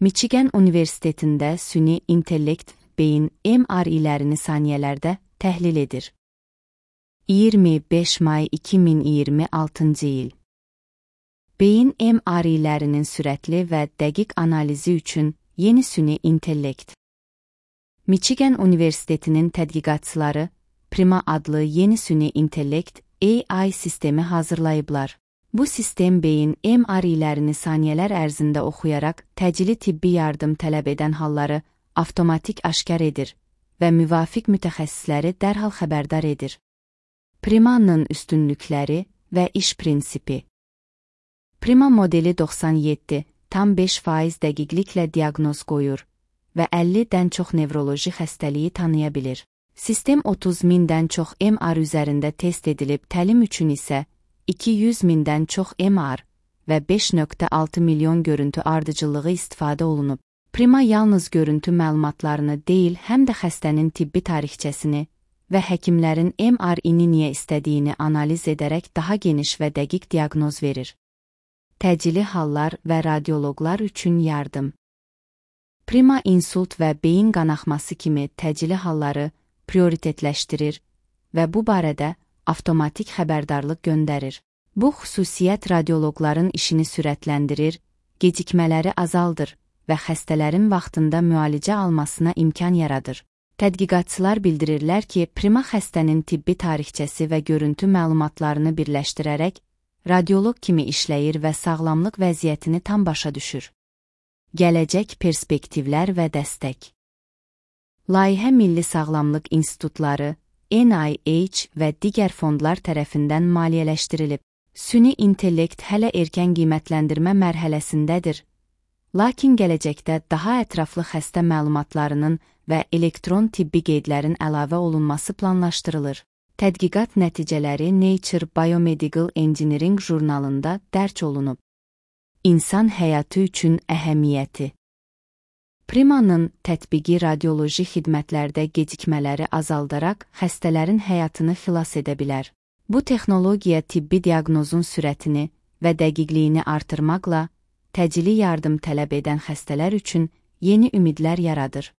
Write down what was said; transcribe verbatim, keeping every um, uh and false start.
Michigan Universitetində süni intellekt beyin M R İ'lərini saniyələrdə təhlil edir. iyirmi beş may iki min iyirmi altıncı il. Beyin M R İ'lərinin sürətli və dəqiq analizi üçün yeni süni intellekt. Michigan Universitetinin tədqiqatçıları Prima adlı yeni süni intellekt A I sistemi hazırlayıblar. Bu sistem beyin M R İ'lərini saniyələr ərzində oxuyaraq təcili tibbi yardım tələb edən halları avtomatik aşkar edir və müvafiq mütəxəssisləri dərhal xəbərdar edir. Prima'nın üstünlükləri və iş prinsipi. Prima modeli doxsan yeddi tam beş faiz dəqiqliklə diaqnoz qoyur və əllidən çox nevroloji xəstəliyi tanıya bilir. Sistem otuz mindən çox M R üzərində test edilib, təlim üçün isə iki yüz mindən çox M R və beş nöqtə altı milyon görüntü ardıcıllığı istifadə olunub. Prima yalnız görüntü məlumatlarını deyil, həm də xəstənin tibbi tarixçəsini və həkimlərin M R İ'ni niyə istədiyini analiz edərək daha geniş və dəqiq diaqnoz verir. Təcili hallar və radioloqlar üçün yardım. Prima insult və beyin qanaxması kimi təcili halları prioritetləşdirir və bu barədə avtomatik xəbərdarlıq göndərir. Bu xüsusiyyət radioloqların işini sürətləndirir, gecikmələri azaldır və xəstələrin vaxtında müalicə almasına imkan yaradır. Tədqiqatçılar bildirirlər ki, Prima xəstənin tibbi tarixçəsi və görüntü məlumatlarını birləşdirərək radioloq kimi işləyir və sağlamlıq vəziyyətini tam başa düşür. Gələcək perspektivlər və dəstək. Layihə Milli Sağlamlıq İnstitutları, N I H və digər fondlar tərəfindən maliyyələşdirilib. Süni intellekt hələ erkən qiymətləndirmə mərhələsindədir, lakin gələcəkdə daha ətraflı xəstə məlumatlarının və elektron tibbi qeydlərin əlavə olunması planlaşdırılır. Tədqiqat nəticələri Nature Biomedical Engineering jurnalında dərc olunub. İnsan həyatı üçün əhəmiyyəti. Prima'nın tətbiqi radioloji xidmətlərdə gecikmələri azaldaraq xəstələrin həyatını xilas edə bilər. Bu texnologiya tibbi diaqnozun sürətini və dəqiqliyini artırmaqla təcili yardım tələb edən xəstələr üçün yeni ümidlər yaradır.